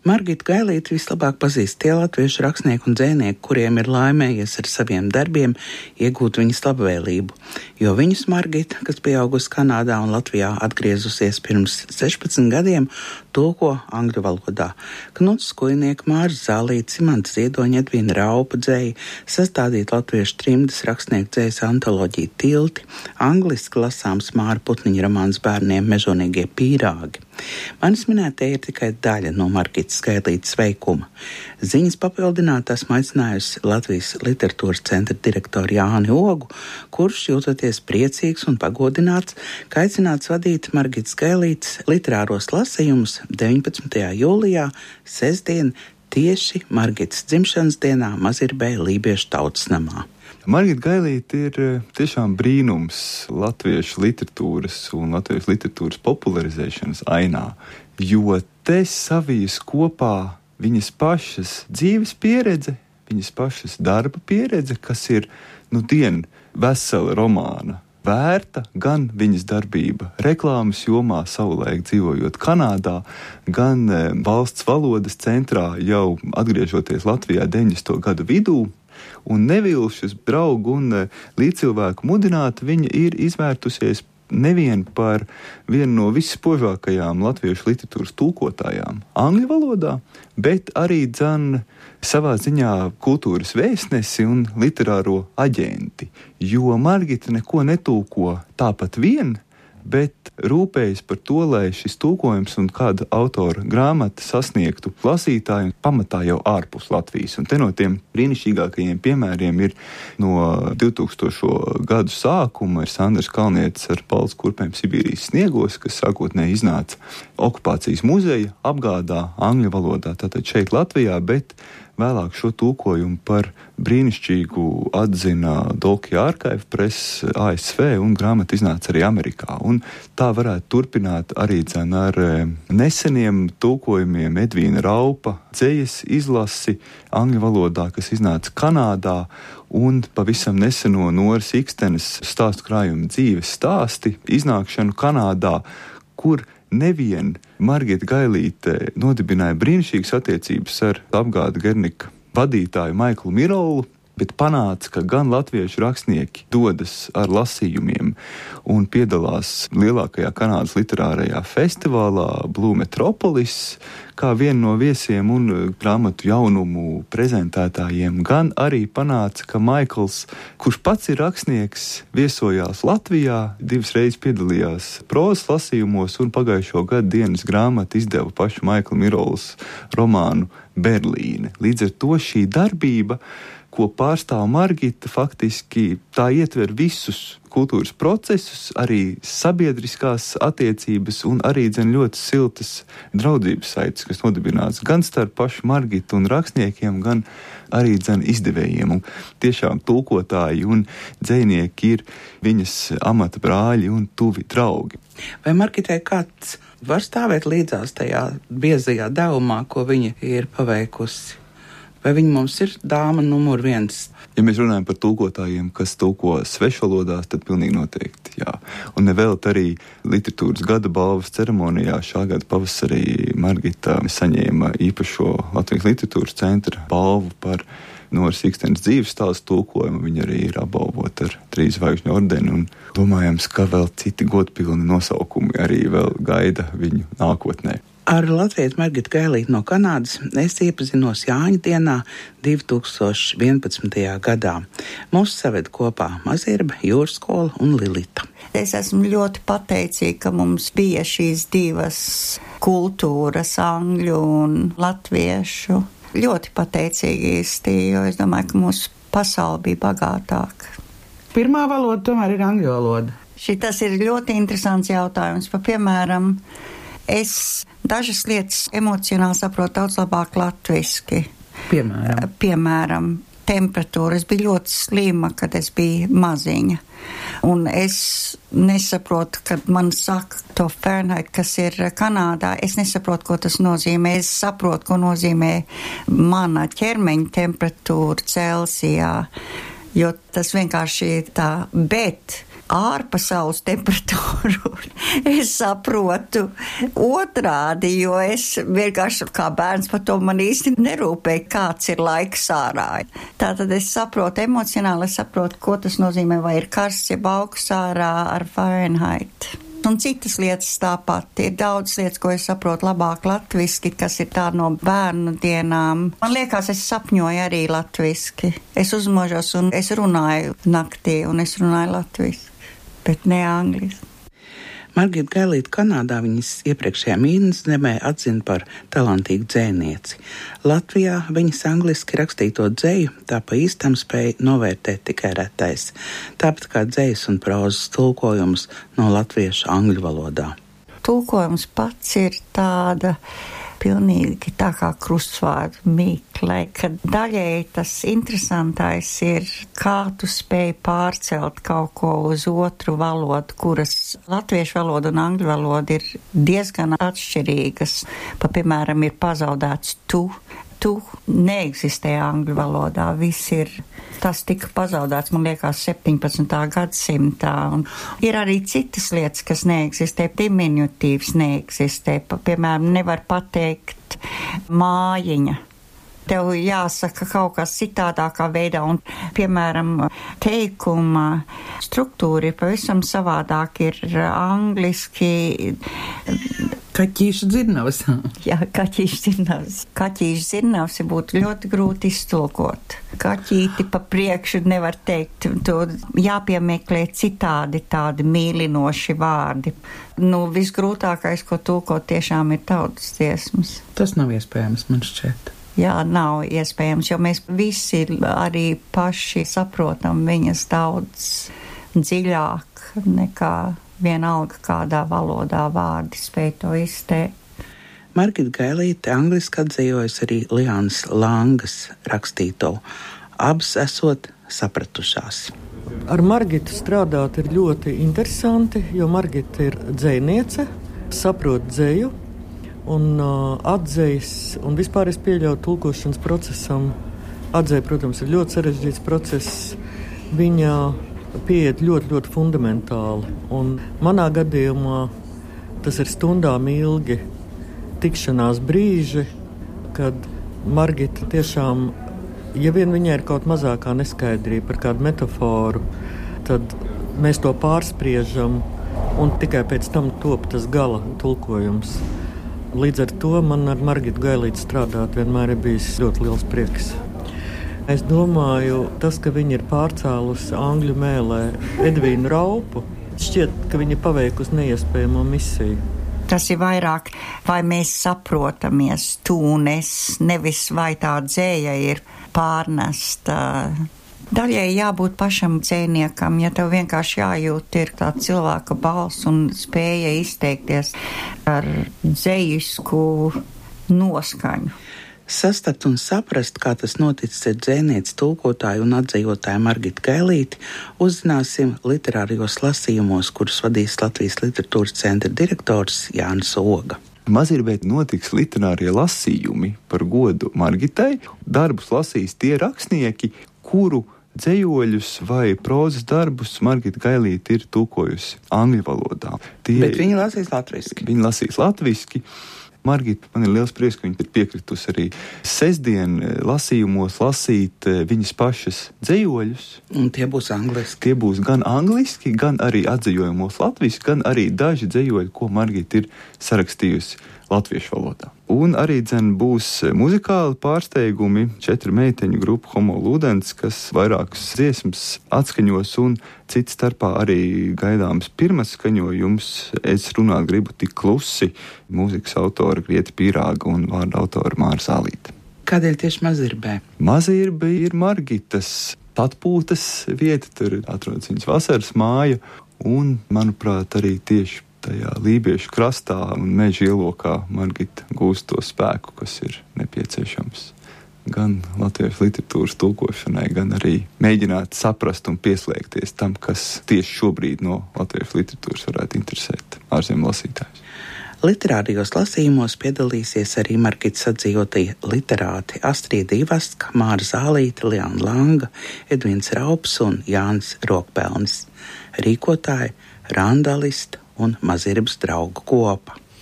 Margita Gailīte vislabāk pazīst tie latviešu rakstnieki un dzejnieki, kuriem ir laimējies ar saviem darbiem iegūt viņas labvēlību, jo viņus Margita, kas pieaugusi Kanādā un Latvijā atgriezusies pirms 16 gadiem, tulko angļu valodā. Knuts Skujnieks, Māris Zālītis, Imants Ziedoņa, Edvīna Raupa dzeja, sastādīt latviešu trimdas rakstnieku dzejas antoloģiju Tilti, angliski lasāms Māra Putniņa romāns bērniem Mežonīgie pīrāgi. Manis minētie ir tikai daļa no Margitas Gailītes veikuma. Ziņas papildināt esmu aicinājusi Latvijas literatūras centra direktoru Jāni Ogu, kurš jūtoties priecīgs un pagodināts, ka aicināts vadīt Margitas Gailītes literāros lasījumus 19. jūlijā, sestdien, tieši Margitas dzimšanas dienā Mazirbē Lībiešu tautas namā. Margita Gailīte ir tiešām brīnums latviešu literatūras un latviešu literatūras popularizēšanas ainā, jo te savijas kopā viņas pašas dzīves pieredze, viņas pašas darba pieredze, kas ir, vesela romāna vērta, gan viņas darbība reklāmas jomā savulaik dzīvojot Kanādā, gan valsts valodas centrā jau atgriežoties Latvijā 90. gadu vidū, un nevilšas draugu un līdzcilvēku mudināta, viņa ir izvērtusies nevien par vienu no visspožākajām latviešu literatūras tulkotājām angļu valodā, bet arī savā ziņā kultūras vēstnesi un literāro aģenti, jo Margita neko netulko tāpat vien, bet rūpējas par to, lai šis tulkojums un kāda autora grāmata sasniegtu lasītāju pamatā jau ārpus Latvijas. Un te no tiem brīnišķīgākajiem piemēriem ir no 2000. Gadu sākuma ir Sandrs Kalnietis ar Balts kurpēm Sibīrijas sniegos, kas sākotnēji iznāca okupācijas muzeja apgādā angļu valodā, tātad šeit Latvijā, bet vēlāk šo tulkojumu par brīnišķīgu atzina Dolkija Archive Press ASV un grāmata iznāca arī Amerikā. Un tā varētu turpināt arī ar neseniem tulkojumiem Edvīna Raupa dzejas izlasi angļu valodā, kas iznāca Kanādā, un pavisam neseno Noras Ikstenes stāstu krājumu dzīves stāsti iznākšanu Kanādā, kur nevien Margita Gailīte nodibināja brīnišķīgas attiecības ar apgāda Gernika vadītāju Maiklu Mirolu, bet panāca, ka gan latviešu rakstnieki dodas ar lasījumiem un piedalās lielākajā Kanādas literārajā festivālā Blue Metropolis, kā vienu no viesiem un grāmatu jaunumu prezentētājiem, gan arī panāca, ka Maikls, kurš pats ir rakstnieks, viesojās Latvijā, 2 reizes piedalījās prozas lasījumos un pagājušo gadu dienas grāmatu izdeva pašu Maikla Mirolas romānu Berlīne. Līdz ar to šī darbība, ko pārstāv Margita, faktiski tā ietver visus kultūras procesus, arī sabiedriskās attiecības un arī ļoti siltas draudzības saites, kas nodibināts gan starp pašu Margitu un rakstniekiem, gan arī izdevējiem. Un tiešām tulkotāji un dzejnieki ir viņas amata brāļi un tuvi draugi. Vai Margitai kāds var stāvēt līdzās tajā biezajā devumā, ko viņa ir paveikusi? Vai viņa mums ir dāma numur 1? Ja mēs runājam par tulkotājiem, kas tulko svešvalodās, tad pilnīgi noteikti, jā. Un nevēlt arī literatūras gada balvas ceremonijā šā gada pavasarī Margita saņēma īpašo Latvijas literatūras centra balvu par Noras Ikstenes dzīves stāstu tulkojumu. Viņa arī ir apbalvota ar 3 zvaigžņu ordeni, un domājams, ka vēl citi godpilni nosaukumi arī vēl gaida viņu nākotnē. Ar latviešu Margitu Gailīti no Kanādas es iepazinos Jāņa dienā 2011. gadā. Mūs saved kopā Mazirbe, Jūras skola un Lilita. Es esmu ļoti pateicīga, ka mums bija šīs divas kultūras, angļu un latviešu. Ļoti pateicīgi īsti, jo es domāju, ka mūsu pasaule bija bagātāka. Pirmā valoda tomēr ir angļu valoda. Šitas ir ļoti interesants jautājums. Piemēram, es dažas lietas emocionāli saprotu daudz labāk latviski. Piemēram, temperatūra. Es biju ļoti slima, kad es biju maziņa. Un es nesaprotu, kad man saka to Fahrenheit, kas ir Kanādā. Es nesaprotu, ko tas nozīmē. Es saprotu, ko nozīmē mana ķermeņa temperatūra Celsijā. Jo tas vienkārši ir tā. Bet ārpasaules temperatūru es saprotu otrādi, jo es vienkārši kā bērns par to man īsti nerūpēju, kāds ir laiks ārā. Tātad es saprotu emocionāli, es saprotu, ko tas nozīmē, vai ir karsts, jeb augsts ārā ar Fahrenheit. Un citas lietas tāpat. Ir daudz lietas, ko es saprotu labāk latviski, kas ir tā no bērnu dienām. Man liekas, es sapņoju arī latviski. Es uzmožos un es runāju naktī, un es runāju latviski, bet ne angliski. Margita Gailīte Kanādā viņas iepriekšējā mītnes zemē atzina par talantīgu dzejnieci. Latvijā viņas angliski rakstīto dzeju tā pa īstam spēja novērtēt tikai retais, tāpat kā dzejas un prozas tulkojumus no latviešu angļu valodā. Tulkojums pats ir tāda pilnīgi tā kā krustvārdu mīkle, ka daļēji tas interesantais ir, kā tu spēj pārcelt kaut ko uz otru valodu, kuras latviešu valoda un angļu valoda ir diezgan atšķirīgas. Piemēram, ir pazaudēts tu neeksistē angļu valodā, tas tika pazaudēts, man liekas, 17. gadsimtā, un ir arī citas lietas, kas neeksistē, diminutīvs neeksistē, piemēram, nevar pateikt mājiņa. Tev jāsaka kaut kas citādākā veidā, un, piemēram, teikuma struktūra ir pavisam savādāk, ir angliski. Kaķīša dzirnavs. Jā, kaķīša dzirnavs. Kaķīša dzirnavs būtu ļoti grūti iztulkot. Kaķīti pa priekšu nevar teikt, to jāpiemeklē citādi tādi mīlinoši vārdi. Visgrūtākais, ko tulkot, tiešām ir tautas dziesmas. Tas nav iespējams, man šķiet. Jā, nav iespējams, jo mēs visi arī paši saprotam viņas daudz dziļāk nekā vienalga kādā valodā vārdi spēj to izteikt. Margita Gailīte angliski atzīvojas arī Liānas Langas rakstīto, abas esot sapratušās. Ar Margitu strādāt ir ļoti interesanti, jo Margita ir dzejniece, saprot dzeju un atdzejas, un vispār es pieļauju tulkošanas procesam. Atdzeja, protams, ir ļoti sarežģīts process. Viņa pieiet ļoti, ļoti fundamentāli. Un manā gadījumā tas ir stundām ilgi tikšanās brīži, kad Margita tiešām, ja vien viņai ir kaut mazākā neskaidrība par kādu metaforu, tad mēs to pārspriežam un tikai pēc tam top tas gala tulkojums. Līdz ar to man ar Margitu Gailīti strādāt vienmēr ir bijis ļoti liels prieks. Es domāju, tas, ka viņi ir pārcēlusi angļu mēlē Edvīnu Raupu, šķiet, ka viņi paveikusi neiespējamo misiju. Tas ir vairāk, vai mēs saprotamies tu un es, nevis vai tā dzēja ir pārnesta. Daļai jābūt pašam dzējniekam, ja tev vienkārši jājūt ir tā cilvēka balss un spēja izteikties ar dzējisku noskaņu. Sastakt un saprast, kā tas noticis ar dzejnieci, tulkotāju un atdzīvotāju Margitu Gailīti, uzzināsim literārijos lasījumos, kurus vadīs Latvijas literatūras centra direktors Jānis Oga. Mazirbēt notiks literārie lasījumi par godu Margitai. Darbus lasīs tie rakstnieki, kuru dzejoļus vai prozas darbus Margita Gailīte ir tulkojusi angļu valodā. Bet viņi lasīs latviski. Viņi lasīs latviski. Margita, man ir liels prieks, ka viņa ir piekritusi arī sestdien lasījumos lasīt viņas pašas dzejoļus. Un tie būs angliski. Tie būs gan angliski, gan arī atzejojumos latviski, gan arī daži dzejoļi, ko Margita ir sarakstījusi latviešu valodā. Un arī būs muzikāli pārsteigumi, 4 meiteņu grupu Homo Ludens, kas vairākas dziesmas atskaņos, un cits starpā arī gaidāms pirmas skaņojums. Es runāt gribu tik klusi, mūzikas autora Grieta Pīrāga un vārda autora Māra Zālīte. Kādēļ tieši Mazirbē? Mazirbe ir Margitas atpūtas vieta, tur atrodas viņas vasaras māja, un, manuprāt, arī tieši tajā Lībiešu krastā un meža ielokā Margita gūst to spēku, kas ir nepieciešams gan latviešu literatūras tulkošanai, gan arī mēģināt saprast un pieslēgties tam, kas tieši šobrīd no latviešu literatūras varētu interesēt ārzemju lasītājus. Literārijos lasījumos piedalīsies arī Margitas atdzīvotie literāti Astrīda Ivaska, Māra Zālīte, Liāna Langa, Edvīns Raups un Jānis Rokpelnis. rīkotāji Randalista un Mazirbas draugu kopa.